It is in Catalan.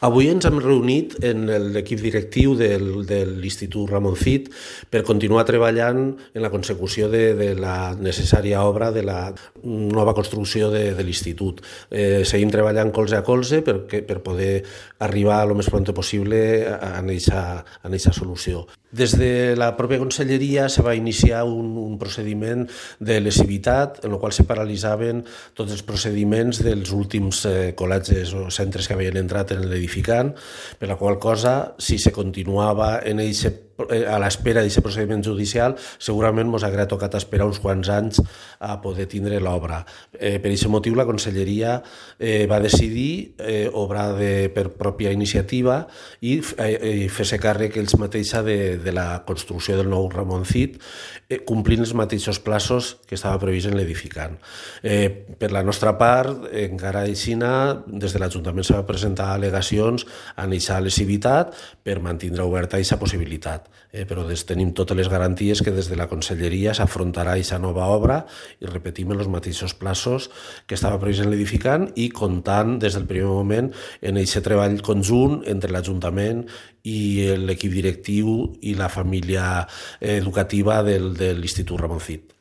Avui ens hem reunit en l'equip directiu de l'Institut Ramon Cid per continuar treballant en la consecució de la necessària obra de la nova construcció de l'Institut. Seguim treballant colze a colze per poder arribar el més pront possible a aquesta solució. Des de la pròpia conselleria se va iniciar un procediment de lesivitat en el qual se paralitzaven tots els procediments dels últims col·legis o centres que havien entrat en l'edificant, per la qual cosa, si se continuava a l'espera d'aquest procediment judicial, segurament ens hauria tocat esperar uns quants anys a poder tindre l'obra. Per aquest motiu, la conselleria va decidir obrar per pròpia iniciativa i fer-se càrrec ells mateixa de la construcció del nou Ramon Cid, complint els mateixos plaços que estava previst en l'edificant. Per la nostra part, encara així, des de l'Ajuntament s'ha va presentar al·legacions a aquesta lesivitat per mantenir oberta aquesta possibilitat. Però tenim totes les garanties que des de la conselleria s'afrontarà aquesta nova obra i repetim els mateixos plaços que estava previst en l'edificant i comptant des del primer moment en aquest treball conjunt entre l'Ajuntament i l'equip directiu i la família educativa de l'Institut Ramon Cid.